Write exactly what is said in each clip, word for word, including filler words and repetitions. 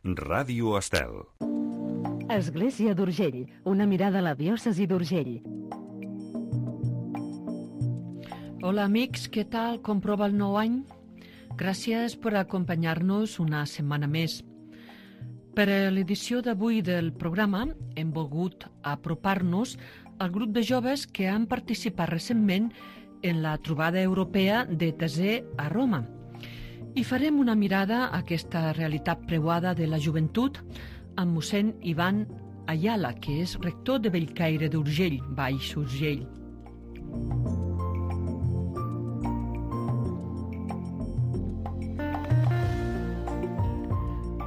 Ràdio Estel. Església d'Urgell, una mirada a la diòcesi d'Urgell. Hola amics, què tal? Com prova el nou any? Gràcies per acompanyar-nos una setmana més. Per a l'edició d'avui del programa hem volgut apropar-nos al grup de joves que han participat recentment en la trobada europea de Tesè a Roma. I farem una mirada a aquesta realitat preuada de la joventut amb mossèn Ivan Ayala, que és rector de Bellcaire d'Urgell, Baix Urgell.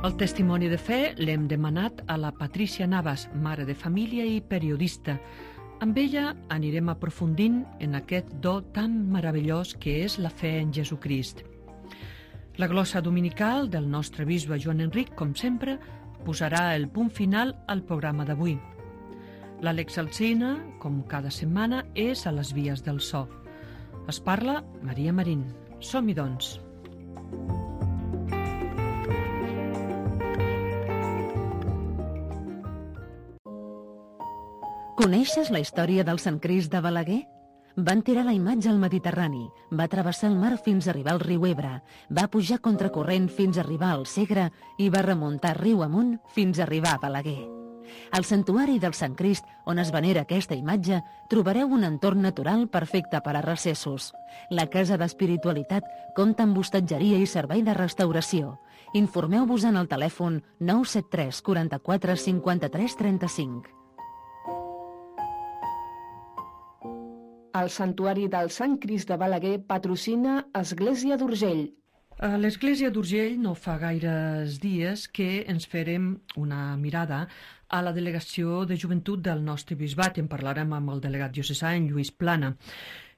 El testimoni de fe l'hem demanat a la Patrícia Navas, mare de família i periodista. Amb ella anirem aprofundint en aquest do tan meravellós que és la fe en Jesucrist. La glossa dominical del nostre bisbe Joan Enric, com sempre, posarà el punt final al programa d'avui. L'Àlex Alsina, com cada setmana, és a les vies del so. Es parla Maria Marín. Som-hi, doncs. Coneixes la història del Sant Crist de Balaguer? Van tirar la imatge al Mediterrani, va travessar el mar fins a arribar al riu Ebre, va pujar contracorrent fins a arribar al Segre i va remuntar riu amunt fins a arribar a Balaguer. Al santuari del Sant Crist, on es venera aquesta imatge, trobareu un entorn natural perfecte per a recessos. La Casa d'Espiritualitat compta amb hostatgeria i servei de restauració. Informeu-vos en el telèfon nou set tres quaranta-quatre cinquanta-tres trenta-cinc. El Santuari del Sant Crist de Balaguer patrocina Església d'Urgell. A l'Església d'Urgell no fa gaires dies que ens farem una mirada a la delegació de joventut del nostre bisbat. En parlarem amb el delegat diocesà, en Lluís Plana.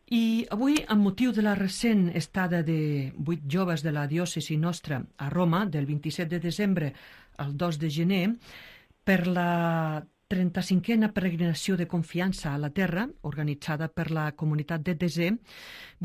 I avui, amb motiu de la recent estada de vuit joves de la diòcesi nostra a Roma, del vint-i-set de desembre al dos de gener, per la trenta-cinquena peregrinació de confiança a la Terra, organitzada per la comunitat de Tesè,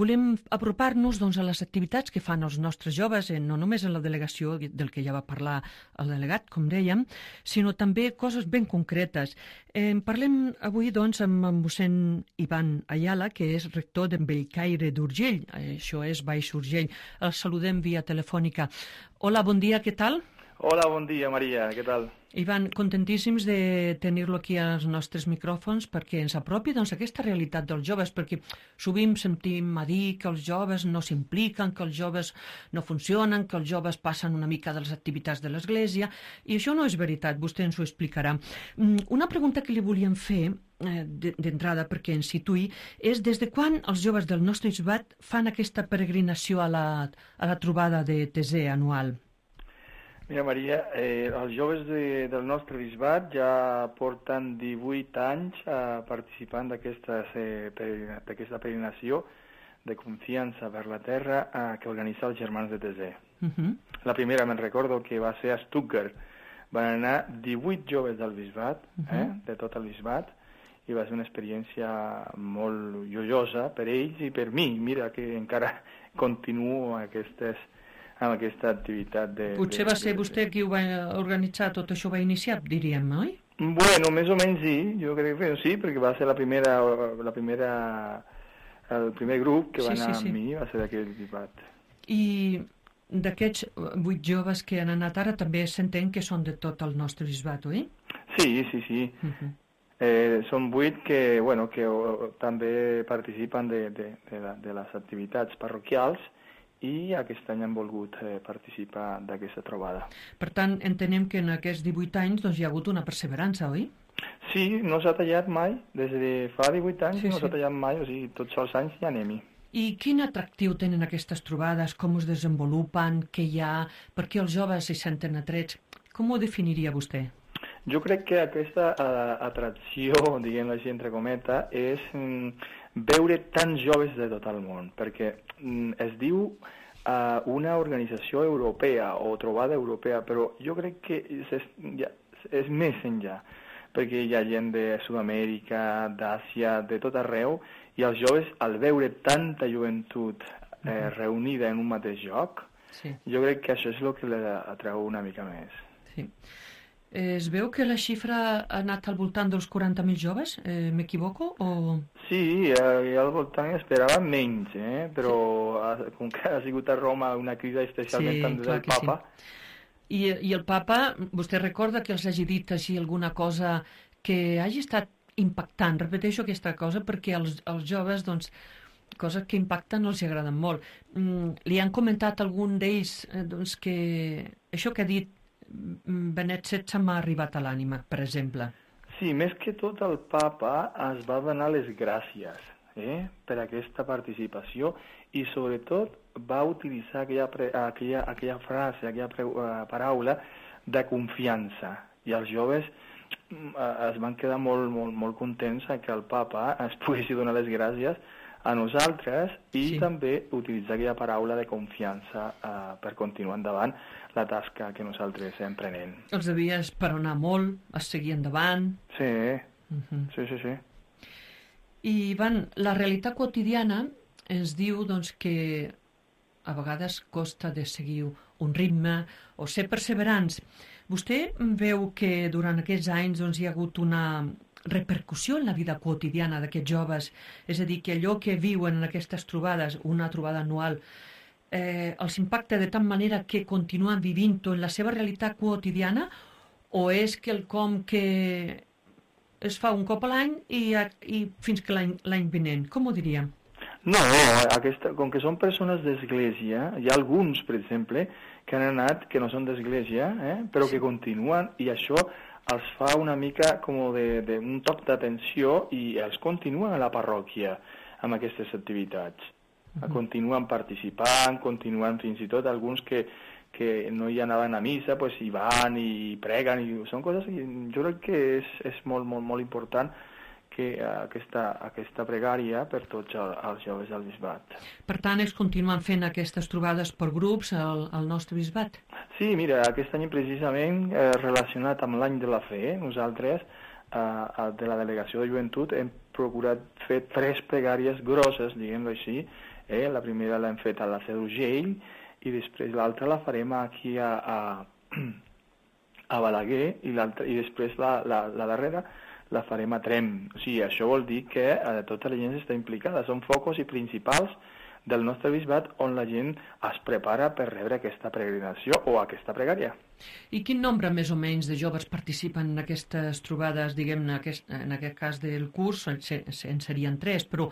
volem apropar-nos doncs, a les activitats que fan els nostres joves, no només en la delegació del que ja va parlar el delegat, com dèiem, sinó també coses ben concretes. Eh, parlem avui doncs, amb en mossèn Ivan Ayala, que és rector de Bellcaire d'Urgell, això és Baix Urgell. El saludem via telefònica. Hola, bon dia, què tal? Hola, bon dia, Maria, què tal? Ivan, contentíssims de tenir-lo aquí als nostres micròfons perquè ens apropi doncs, aquesta realitat dels joves, perquè sovint sentim a dir que els joves no s'impliquen, que els joves no funcionen, que els joves passen una mica de les activitats de l'Església, i això no és veritat, vostè ens ho explicarà. Una pregunta que li volíem fer d'entrada perquè ens situï és des de quan els joves del nostre bisbat fan aquesta peregrinació a la, a la trobada de Tesè anual? Mira, Maria, eh, els joves de, del nostre bisbat ja porten divuit anys eh, participant d'aquesta eh, peregrinació de confiança per la terra eh, que organitza els germans de Tesè. Uh-huh. La primera, me'n recordo, que va ser a Stuttgart. Van anar divuit joves del bisbat, uh-huh. eh, de tot el bisbat, i va ser una experiència molt joiosa per ells i per mi. Mira que encara continuo aquestes... amb aquesta activitat de... Potser de, va ser de, vostè qui ho va organitzar, tot això va iniciar, diríem, oi? Bueno, més o menys sí, jo crec que sí, perquè va ser la primera, la primera, el primer grup que va sí, anar sí, sí. amb mi, va ser d'aquell bisbat. I d'aquests vuit joves que han anat ara també s'entén que són de tot el nostre bisbat, oi? Sí, sí, sí. Uh-huh. eh, són vuit que, bueno, que o, també participen de, de, de, la, de les activitats parroquials i aquest any han volgut eh, participar d'aquesta trobada. Per tant, entenem que en aquests divuit anys doncs, hi ha hagut una perseverança, oi? Sí, no s'ha tallat mai. Des de fa divuit anys sí, no s'ha sí. tallat mai, o sigui, tots els anys hi anem-hi. I quin atractiu tenen aquestes trobades? Com es desenvolupen? Què hi ha? Per què els joves s'hi senten atrets? Com ho definiria vostè? Jo crec que aquesta uh, atracció, diguem-ho així entre cometa, és mm, veure tants joves de tot el món, perquè mm, es diu uh, una organització europea o trobada europea, però jo crec que és, ja, és més enllà, perquè hi ha gent de Sud-amèrica, d'Àsia, de tot arreu, i els joves, al veure tanta joventut eh, uh-huh. reunida en un mateix lloc, sí. jo crec que això és el que l'atreu una mica més. Sí. Es veu que la xifra ha anat al voltant dels quaranta mil joves, eh, m'equivoco? O... Sí, eh, al voltant esperava menys, eh? però sí. com que ha sigut a Roma una crisi especialment sí, també del papa... Sí. I, I el papa, vostè recorda que els hagi dit així alguna cosa que hagi estat impactant? Repeteixo aquesta cosa perquè els, els joves, doncs, coses que impacten els agraden molt. Mm, li han comentat algun d'ells eh, doncs, que això que ha dit Benet setze m'ha arribat a l'ànima, per exemple. Sí, més que tot el papa es va donar les gràcies eh, per aquesta participació i sobretot va utilitzar aquella, aquella, aquella frase, aquella pre, uh, paraula de confiança. I els joves uh, es van quedar molt, molt, molt contents que el papa es poguessi donar les gràcies a nosaltres i sí. també utilitzar aquella paraula de confiança uh, per continuar endavant la tasca que nosaltres estem prenent. Els devia esperonar molt, es seguir endavant... Sí, uh-huh. sí, sí, sí. I, Ivan, la realitat quotidiana ens diu doncs, que a vegades costa de seguir un ritme o ser perseverants. Vostè veu que durant aquests anys doncs, hi ha hagut una repercussió en la vida quotidiana d'aquests joves? És a dir, que allò que viuen en aquestes trobades, una trobada anual, eh, els impacta de tal manera que continuen vivint-ho en la seva realitat quotidiana, o és quelcom que es fa un cop a l'any i, i fins que l'any vinent? Com ho diríem? No, aquesta, com que són persones d'església, hi ha alguns, per exemple, que han anat, que no són d'església, eh, però que continuen, i això els fa una mica com de, de un toc d'atenció i els continuen a la parròquia amb aquestes activitats. Uh-huh. Continuen participant, continuen fins i tot alguns que, que no hi anaven a missa, pues hi van i preguen, i són coses que jo crec que és, és molt, molt, molt important que aquesta, aquesta pregària per tots els joves del bisbat. Per tant, es continuen fent aquestes trobades per grups al, al nostre bisbat? Sí, mira, aquest any precisament eh, relacionat amb l'any de la fe, nosaltres eh, de la Delegació de Joventut hem procurat fer tres pregàries grosses, diguem-ho així. Eh? La primera l'hem fet a la Seu d'Urgell i després l'altra la farem aquí a, a, a Balaguer i, i després la, la, la darrera la farem a Trem. O sigui, això vol dir que eh, tota la gent està implicada. Són focus i principals del nostre bisbat on la gent es prepara per rebre aquesta peregrinació o aquesta pregària. I quin nombre més o menys de joves participen en aquestes trobades, diguem-ne, aquest, en aquest cas del curs, en, en serien tres, però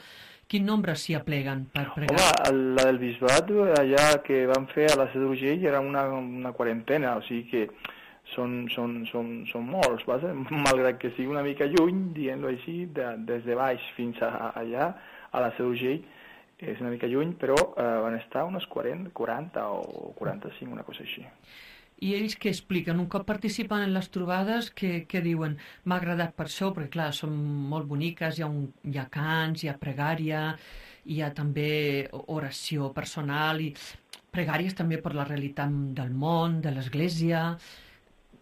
quin nombre s'hi apleguen per pregar? Home, la del bisbat, allà que vam fer a la Seu d'Urgell era una, una quarantena, o sigui que són, són, són, són molts, vas? Malgrat que sigui una mica lluny, dient-ho així, de, des de baix fins a, allà, a la Seu d'Urgell, és una mica lluny, però eh, van estar unes quaranta, quaranta o quaranta-cinc, una cosa així. I ells què expliquen? Un cop participen en les trobades, què, què diuen? M'ha agradat per això, perquè clar, són molt boniques, hi ha, un, hi ha cants, hi ha pregària, hi ha també oració personal, i pregàries també per la realitat del món, de l'Església.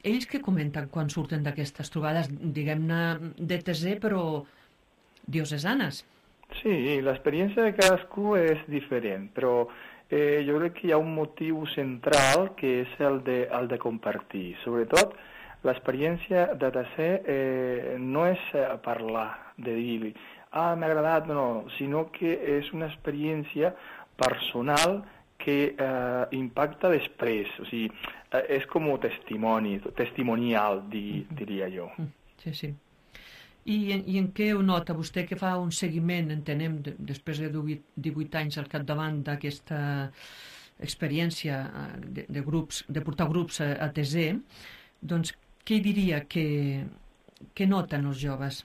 Ells què comenten quan surten d'aquestes trobades, diguem-ne, de teser, però diocesanes? Sí, l'experiència de cadascú és diferent, però eh, jo crec que hi ha un motiu central que és el de, el de compartir. Sobretot, l'experiència de teser eh, no és parlar, de dir, ah, m'ha agradat, no, no, sinó que és una experiència personal que eh, impacta després, o sigui, eh, és com testimoni, testimonial, di, diria jo. Sí, sí. I, I en què ho nota vostè, que fa un seguiment, entenem, de, després de divuit anys al capdavant d'aquesta experiència de, de, grups, de portar grups a, a teser, doncs què diria que, que noten els joves?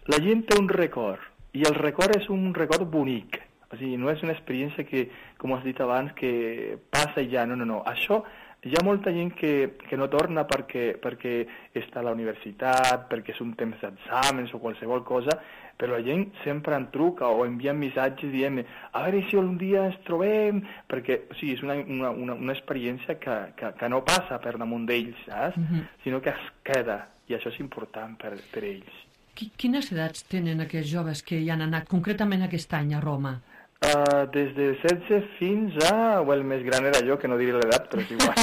La gent té un record, i el record és un record bonic. O sigui, no és una experiència que, com has dit abans, que passa i ja, no, no, no. Això, hi ha molta gent que, que no torna perquè, perquè està a la universitat, perquè és un temps d'exàmens o qualsevol cosa, però la gent sempre en truca o envia missatges dient a veure si un dia ens trobem, perquè o sigui, és una, una, una, una experiència que, que, que no passa per damunt d'ells, saps? Mm-hmm. Sinó que es queda, i això és important per, per ells. Quines edats tenen aquests joves que hi han anat concretament aquest any a Roma? Uh, des de setze fins a... Well, el més gran era jo, que no diré l'edat, però és igual.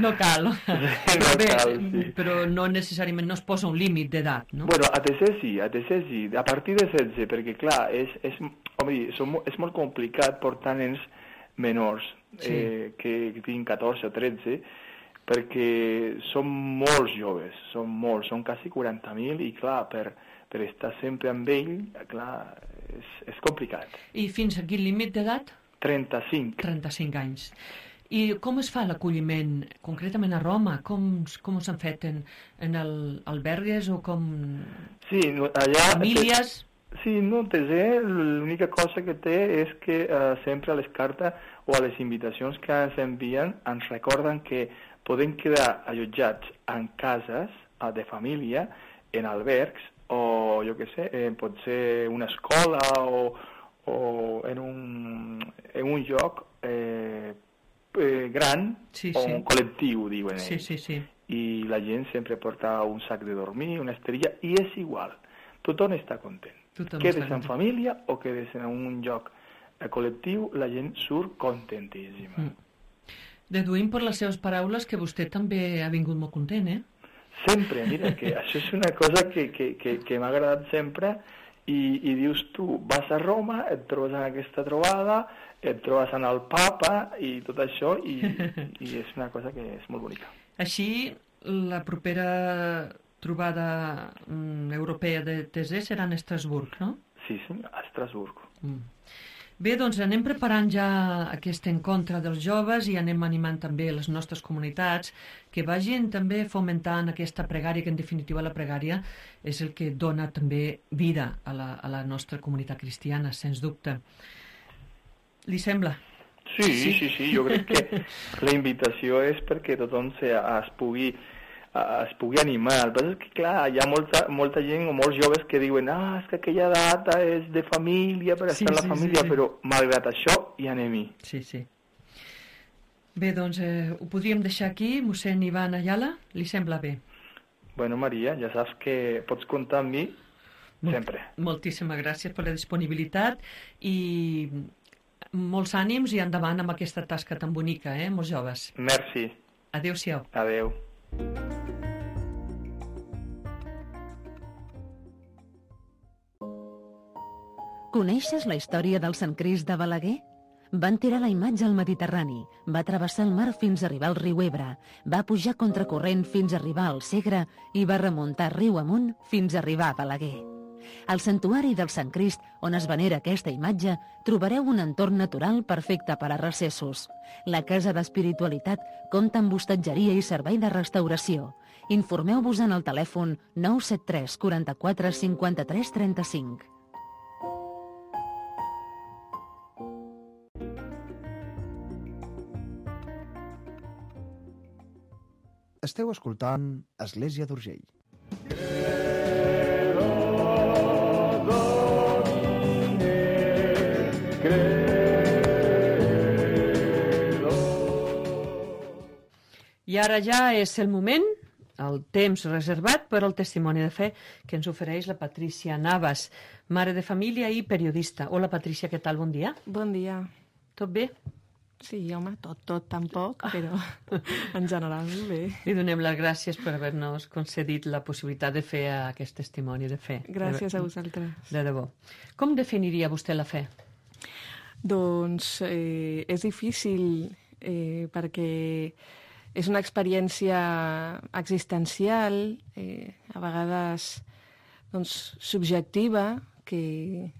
No cal. Sí, no Bé, cal, sí. Però no necessàriament no es posa un límit d'edat, no? Bueno, a T C sí, a T C sí, a partir de setze, perquè clar, és, és, home, som, és molt complicat portar nens menors, sí. eh, que, que tinguin catorze o tretze, perquè són molts joves, són molts, són quasi quaranta mil, i clar, per, per estar sempre amb ell, clar, és, és complicat. I fins a quin límit d'edat? trenta-cinc. trenta-cinc anys. I com es fa l'acolliment, concretament a Roma? Com, com s'han fet en, en el, albergues o com... Sí, allà... Famílies? Sí, no, T C, l'única cosa que té és que uh, sempre a les cartes o a les invitacions que ens envien ens recorden que podem quedar allotjats en cases uh, de família, en albergs, o jo què sé, eh, pot ser una escola o, o en, un, en un lloc eh, eh, gran, sí, o sí. un col·lectiu, diuen ells. Sí, sí, sí. I la gent sempre porta un sac de dormir, una esterilla, i és igual. Tothom està content. Tothom quedes està en família o quedes en un lloc eh, col·lectiu, la gent surt contentíssima. Mm. Deduïm per les seves paraules que vostè també ha vingut molt content, eh? Sempre, mira, que això és una cosa que, que, que, que m'ha agradat sempre i, i dius tu, vas a Roma, et trobes en aquesta trobada, et trobes en el papa i tot això i, i és una cosa que és molt bonica. Així, la propera trobada mm, europea de T C serà a Estrasburg, no? Sí, sí, a Estrasburg. Mm. Bé, doncs anem preparant ja aquest encontre dels joves i anem animant també les nostres comunitats que vagin també fomentant aquesta pregària, que en definitiva la pregària és el que dona també vida a la, a la nostra comunitat cristiana, sens dubte. Li sembla? Sí, sí, sí, sí, jo crec que la invitació és perquè tothom se, es pugui es pugui animar. El que passa és que, clar, hi ha molta, molta gent o molts joves que diuen ah, és que aquella data és de família, per estar sí, en la sí, família, sí. Però malgrat això hi anem-hi. Sí, sí. Bé, doncs eh, ho podríem deixar aquí, mossèn Ivan Ayala, li sembla bé? Bueno, Maria, ja saps que pots comptar amb mi sempre. Moltíssimes gràcies per la disponibilitat i molts ànims i endavant amb aquesta tasca tan bonica, eh, molts joves. Merci. Adéu-siau. Adéu. Coneixes la història del Sant Crist de Balaguer? Van tirar la imatge al Mediterrani, va travessar el mar fins a arribar al riu Ebre, va pujar contracorrent fins a arribar al Segre i va remuntar riu amunt fins a arribar a Balaguer. Al santuari del Sant Crist, on es venera aquesta imatge, trobareu un entorn natural perfecte per a recessos. La Casa d'Espiritualitat compta amb hostatgeria i servei de restauració. Informeu-vos en el telèfon nou set tres quaranta-quatre cinquanta-tres trenta-cinc. Esteu escoltant Església d'Urgell. I ara ja és el moment, el temps reservat per al testimoni de fe que ens ofereix la Patrícia Navas, mare de família i periodista. Hola, Patrícia, què tal? Bon dia. Bon dia. Tot bé? Sí, home, tot, tot tampoc, però en general bé. Li donem les gràcies per haver-nos concedit la possibilitat de fer aquest testimoni de fe. Gràcies a vosaltres. De debò. Com definiria vostè la fe? Doncs eh, és difícil eh, perquè és una experiència existencial, eh, a vegades doncs, subjectiva, que,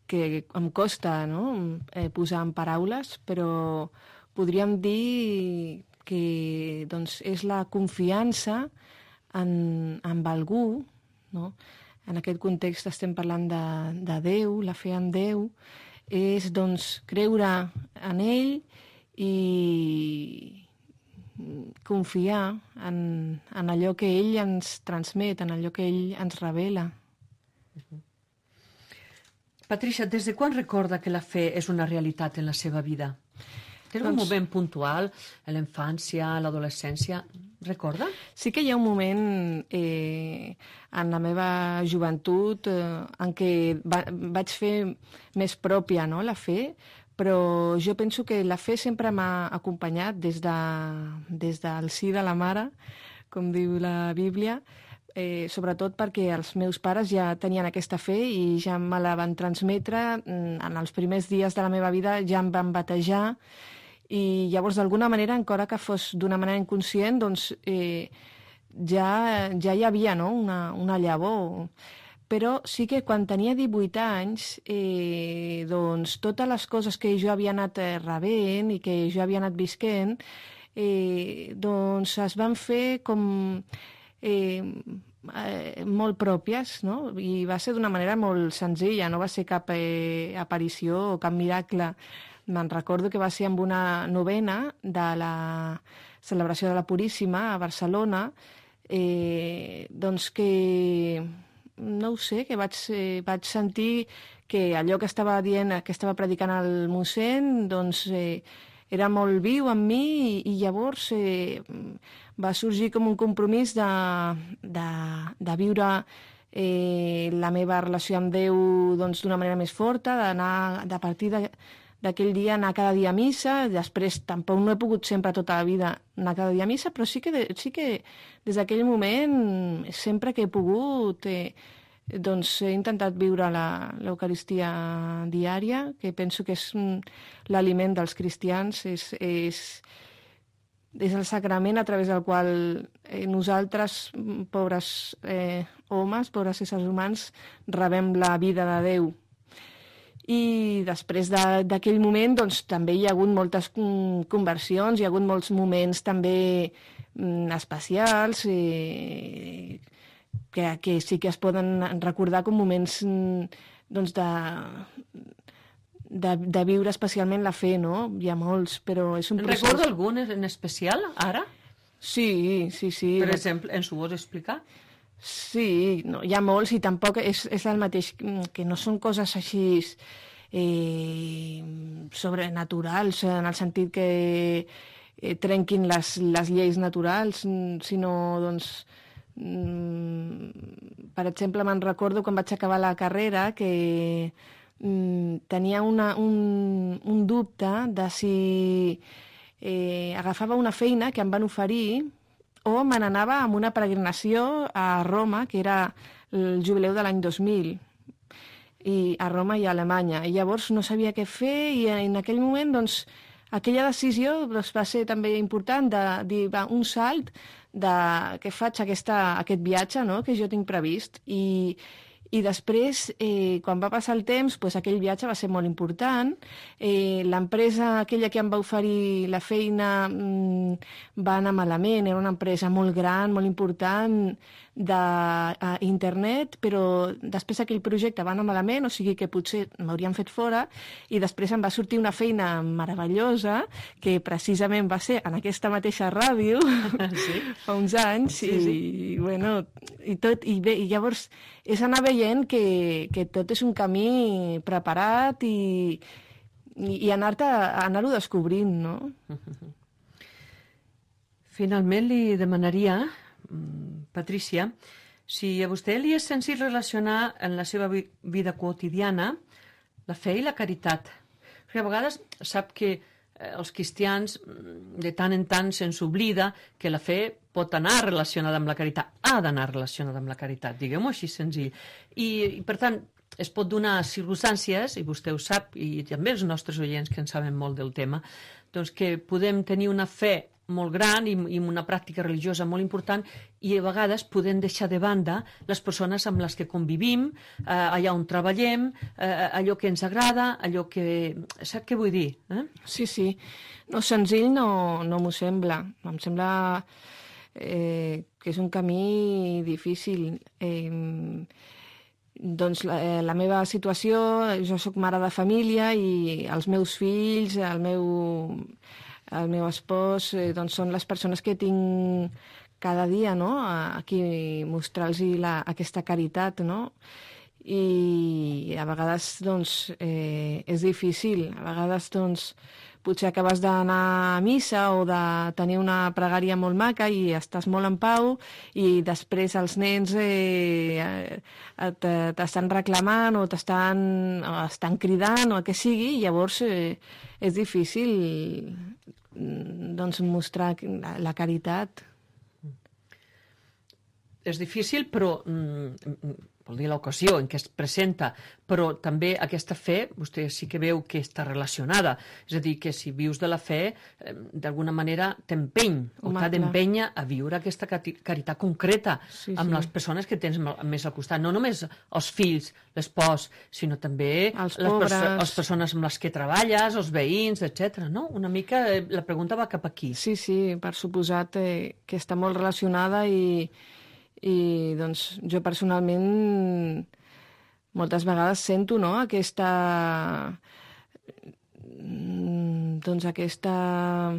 que em costa, no?, eh, posar en paraules, però podríem dir que doncs, és la confiança en, en algú, no? En aquest context estem parlant de, de Déu, la fe en Déu, és doncs, creure en ell i confiar en, en allò que ell ens transmet, en allò que ell ens revela. Patrícia, des de quan recorda que la fe és una realitat en la seva vida? Té algun Doncs- moment puntual, a la infància, a l'adolescència? Recorda? Sí que hi ha un moment eh, en la meva joventut eh, en què va, vaig fer més pròpia, no?, la fe, però jo penso que la fe sempre m'ha acompanyat des, de, des del sí de la mare, com diu la Bíblia, eh, sobretot perquè els meus pares ja tenien aquesta fe i ja me la van transmetre. En els primers dies de la meva vida ja em van batejar i llavors d'alguna manera, encara que fos d'una manera inconscient, doncs eh, ja, ja hi havia, no?, una, una llavor. Però sí que quan tenia divuit anys, eh, doncs totes les coses que jo havia anat rebent i que jo havia anat visquent, eh, doncs es van fer com eh, eh, molt pròpies, no? I va ser d'una manera molt senzilla, no va ser cap eh, aparició o cap miracle. Me'n recordo que va ser amb una novena de la celebració de la Puríssima a Barcelona, eh, doncs que no ho sé, que vaig, eh, vaig sentir que allò que estava dient, que estava predicant el mossèn, doncs eh, era molt viu en mi i, i llavors eh, va sorgir com un compromís de, de, de viure eh, la meva relació amb Déu doncs, d'una manera més forta, d'anar de partir de, d'aquell dia anar cada dia a missa. Després tampoc no he pogut sempre tota la vida anar cada dia a missa, però sí que, de, sí que des d'aquell moment, sempre que he pogut, eh, doncs he intentat viure l'Eucaristia diària, que penso que és l'aliment dels cristians, és, és, és el sacrament a través del qual eh, nosaltres, pobres eh, homes, pobres éssers humans, rebem la vida de Déu. I després d'aquell moment doncs, també hi ha hagut moltes conversions, hi ha hagut molts moments també mm, especials eh, que, que sí que es poden recordar com moments doncs, de, de, de viure especialment la fe, no? Hi ha molts, però és un procés... Recorda algun en especial, ara? Sí, sí, sí. Per exemple, ens ho vols explicar? Sí, no, hi ha molts i tampoc és, és el mateix, que no són coses així eh, sobrenaturals, en el sentit que eh, trenquin les, les lleis naturals, sinó, doncs, mm, per exemple, me'n recordo quan vaig acabar la carrera que mm, tenia una, un, un dubte de si eh, agafava una feina que em van oferir o me n'anava amb una peregrinació a Roma, que era el jubileu de l'any dos mil, i a Roma i a Alemanya. I llavors no sabia què fer i en aquell moment, doncs, aquella decisió doncs, va ser també important de dir, va, un salt de que faig aquesta, aquest viatge, no?, que jo tinc previst. I, i després, eh, quan va passar el temps, doncs, aquell viatge va ser molt important. Eh, l'empresa aquella que em va oferir la feina mmm, va anar malament, era una empresa molt gran, molt important, d'internet, però després aquell projecte va anar malament, o sigui que potser m'haurien fet fora, i després em va sortir una feina meravellosa, que precisament va ser en aquesta mateixa ràdio, sí? Fa uns anys, sí, i, sí. i, bueno, i, tot, i, bé, i llavors és anar veient que, que tot és un camí preparat i, i, i anar-te anar-ho descobrint, no? Finalment li demanaria, Patrícia, si a vostè li és senzill relacionar en la seva vida quotidiana la fe i la caritat. Perquè a vegades sap que els cristians de tant en tant se'ns oblida que la fe pot anar relacionada amb la caritat, ha d'anar relacionada amb la caritat, diguem-ho així senzill. I, i per tant, es pot donar circumstàncies, i vostè ho sap, i també els nostres oients que en saben molt del tema, doncs que podem tenir una fe molt gran i, i una pràctica religiosa molt important i a vegades podem deixar de banda les persones amb les que convivim, eh, allà on treballem, eh, allò que ens agrada, allò que... Sap què vull dir? Eh? Sí, sí. No, senzill no, no m'ho sembla. Em sembla eh, que és un camí difícil. Eh, doncs la, eh, la meva situació, jo sóc mare de família i els meus fills, el meu... el meu espòs, eh, doncs són les persones que tinc cada dia, no?, aquí mostrar-los aquesta caritat, no? I a vegades, doncs, eh, és difícil. A vegades, doncs, potser acabes d'anar a missa o de tenir una pregària molt maca i estàs molt en pau i després els nens eh, t'estan reclamant o t'estan o estan cridant o el que sigui, i llavors eh, és difícil doncs, mostrar la caritat. És difícil, però mm, vol dir l'ocasió en què es presenta, però també aquesta fe, vostè sí que veu que està relacionada, és a dir, que si vius de la fe, eh, d'alguna manera t'empeny, o t'ha d'empènyer a viure aquesta caritat concreta sí, amb sí. les persones que tens més al costat, no només els fills, l'espòs, sinó també els les, perso les persones amb les que treballes, els veïns, etcètera. No? Una mica eh, la pregunta va cap aquí. Sí, sí, per suposat eh, que està molt relacionada i i doncs jo personalment moltes vegades sento, no?, aquesta doncs aquesta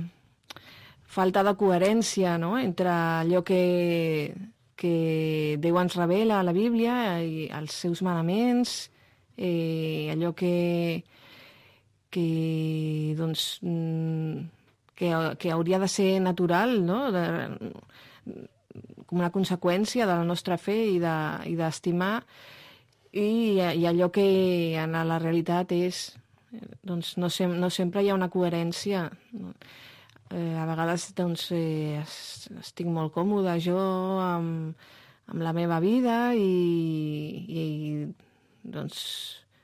falta de coherència, no?, entre allò que, que Déu ens revela a la Bíblia i els seus manaments, eh, allò que que doncs que, que hauria de ser natural, no?, de, com una conseqüència de la nostra fe i d'estimar, de, i, i allò que en la realitat és, doncs no, sem no sempre hi ha una coherència. Eh, a vegades doncs, eh, estic molt còmoda jo amb, amb la meva vida i, i doncs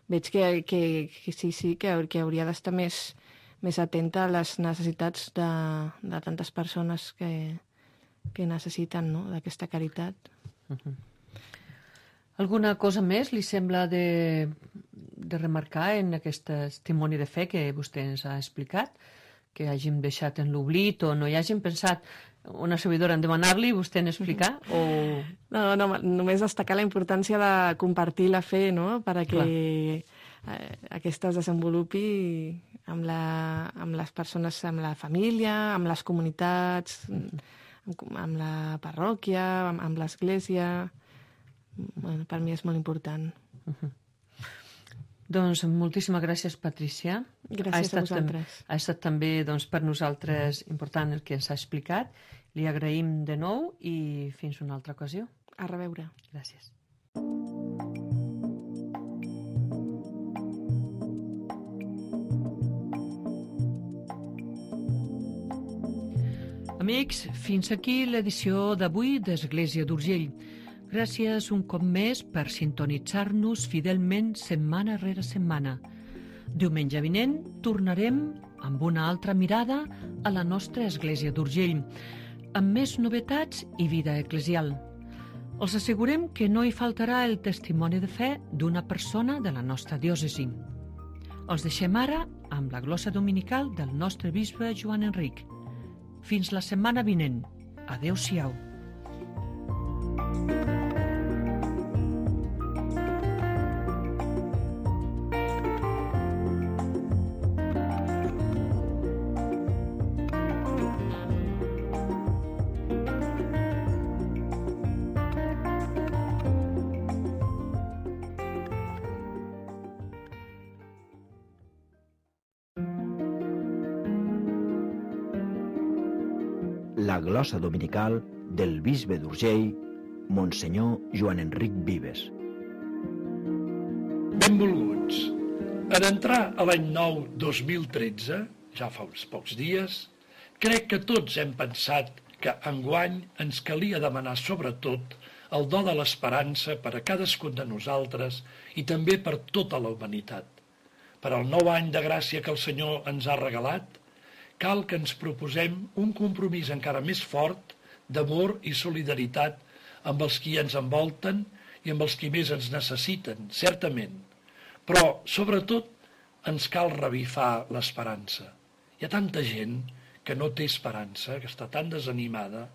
veig que, que, que sí, sí, que, que hauria d'estar més, més atenta a les necessitats de, de tantes persones que que necessiten, no?, d'aquesta caritat. Uh-huh. Alguna cosa més li sembla de, de remarcar en aquest testimoni de fe que vostè ens ha explicat, que hàgim deixat en l'oblit o no hi hàgim pensat una servidora en demanar-li i vostè en explicar? O... No, no, només destacar la importància de compartir la fe, no?, perquè eh, aquesta es desenvolupi amb, la, amb les persones, amb la família, amb les comunitats, uh-huh. amb la parròquia, amb, amb l'església. Bueno, per mi és molt important. Uh-huh. Doncs moltíssimes gràcies, Patricia. Gràcies a vosaltres. Ha estat també doncs, per nosaltres important el que ens ha explicat. Li agraïm de nou i fins una altra ocasió. A reveure. Gràcies. Amics, fins aquí l'edició d'avui d'Església d'Urgell. Gràcies un cop més per sintonitzar-nos fidelment setmana rere setmana. Diumenge vinent tornarem amb una altra mirada a la nostra Església d'Urgell, amb més novetats i vida eclesial. Els assegurem que no hi faltarà el testimoni de fe d'una persona de la nostra diòcesi. Els deixem ara amb la glossa dominical del nostre bisbe Joan Enric. Fins la setmana vinent. Adéu-siau. La glossa dominical del bisbe d'Urgell, Monsenyor Joan Enric Vives. Benvolguts. En entrar a l'any nou dos mil tretze, ja fa uns pocs dies, crec que tots hem pensat que enguany ens calia demanar sobretot el do de l'esperança per a cadascun de nosaltres i també per tota la humanitat. Per al nou any de gràcia que el Senyor ens ha regalat, cal que ens proposem un compromís encara més fort d'amor i solidaritat amb els qui ens envolten i amb els qui més ens necessiten, certament. Però, sobretot, ens cal revifar l'esperança. Hi ha tanta gent que no té esperança, que està tan desanimada.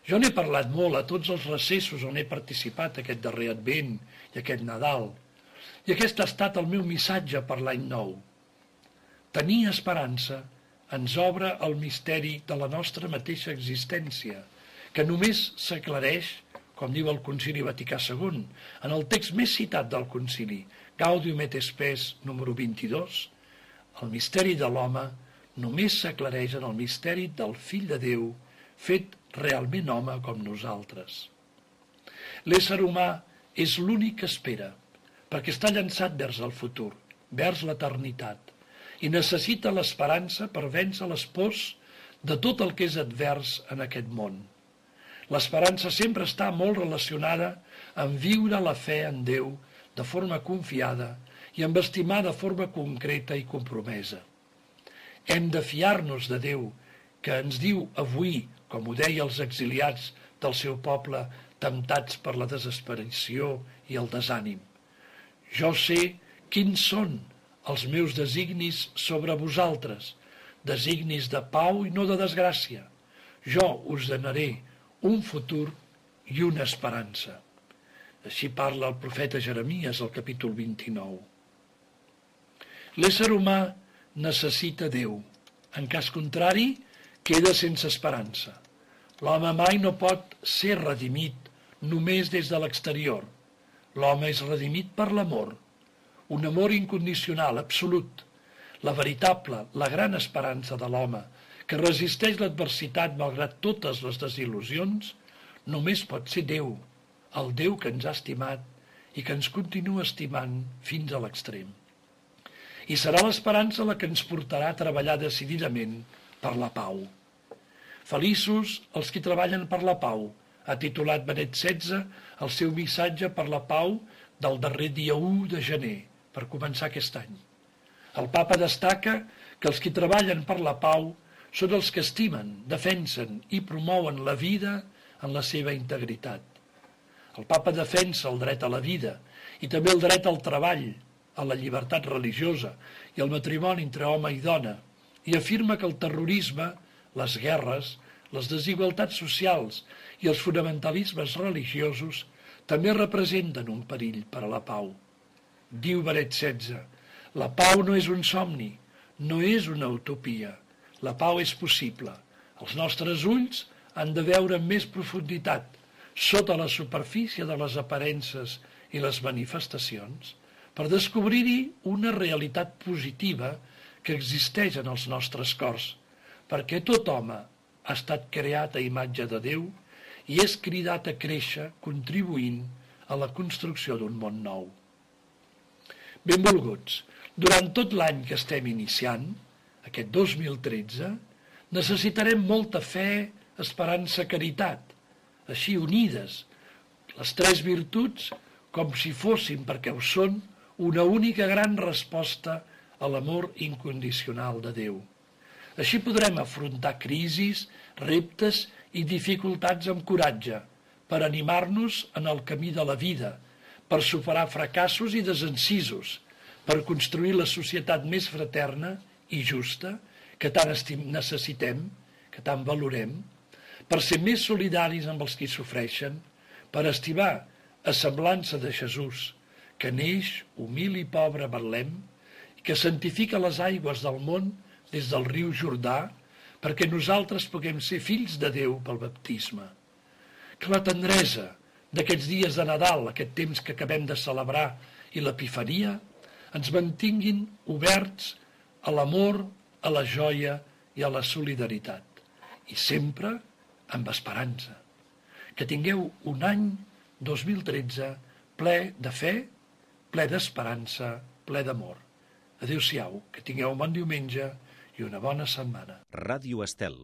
Jo n'he parlat molt a tots els recessos on he participat aquest darrer Advent i aquest Nadal, i aquest ha estat el meu missatge per l'any nou. Tenir esperança ens obre el misteri de la nostra mateixa existència, que només s'aclareix, com diu el Concili Vaticà segon, en el text més citat del Concili, Gaudium et Spes número vint-i-dos, El misteri de l'home només s'aclareix en el misteri del Fill de Déu, fet realment home com nosaltres. L'ésser humà és l'únic que espera, perquè està llançat vers el futur, vers l'eternitat, i necessita l'esperança per vèncer les pors de tot el que és advers en aquest món. L'esperança sempre està molt relacionada amb viure la fe en Déu de forma confiada i amb estimar de forma concreta i compromesa. Hem de fiar-nos de Déu, que ens diu avui, com ho deia els exiliats del seu poble, temptats per la desesperació i el desànim. Jo sé quins són els meus designis sobre vosaltres, designis de pau i no de desgràcia. Jo us donaré un futur i una esperança. Així parla el profeta Jeremies al capítol vint-i-nou. L'ésser humà necessita Déu. En cas contrari, queda sense esperança. L'home mai no pot ser redimit només des de l'exterior. L'home és redimit per l'amor, un amor incondicional, absolut, la veritable, la gran esperança de l'home, que resisteix l'adversitat malgrat totes les desil·lusions, només pot ser Déu, el Déu que ens ha estimat i que ens continua estimant fins a l'extrem. I serà l'esperança la que ens portarà a treballar decididament per la pau. Feliços els qui treballen per la pau, ha titulat Benet setze el seu missatge per la pau del darrer dia u de gener, per començar aquest any. El papa destaca que els qui treballen per la pau són els que estimen, defensen i promouen la vida en la seva integritat. El papa defensa el dret a la vida i també el dret al treball, a la llibertat religiosa i al matrimoni entre home i dona, i afirma que el terrorisme, les guerres, les desigualtats socials i els fonamentalismes religiosos també representen un perill per a la pau. Diu Benet setze, la pau no és un somni, no és una utopia. La pau és possible. Els nostres ulls han de veure amb més profunditat, sota la superfície de les aparences i les manifestacions, per descobrir-hi una realitat positiva que existeix en els nostres cors, perquè tot home ha estat creat a imatge de Déu i és cridat a créixer contribuint a la construcció d'un món nou. Benvolguts, durant tot l'any que estem iniciant, aquest dos mil tretze, necessitarem molta fe, esperança, caritat, així unides, les tres virtuts com si fossin, perquè ho són, una única gran resposta a l'amor incondicional de Déu. Així podrem afrontar crisis, reptes i dificultats amb coratge, per animar-nos en el camí de la vida, per superar fracassos i desencisos, per construir la societat més fraterna i justa que tant necessitem, que tant valorem, per ser més solidaris amb els qui sofreixen, per estimar a semblança de Jesús, que neix humil i pobre a Betlem, i que santifica les aigües del món des del riu Jordà, perquè nosaltres puguem ser fills de Déu pel baptisme. Que la tendresa d'aquests dies de Nadal, aquest temps que acabem de celebrar, i l'Epifania, ens mantinguin oberts a l'amor, a la joia i a la solidaritat, i sempre amb esperança. Que tingueu un any dos mil tretze ple de fe, ple d'esperança, ple d'amor. Adéu-siau, que tingueu un bon diumenge i una bona setmana. Ràdio Estel,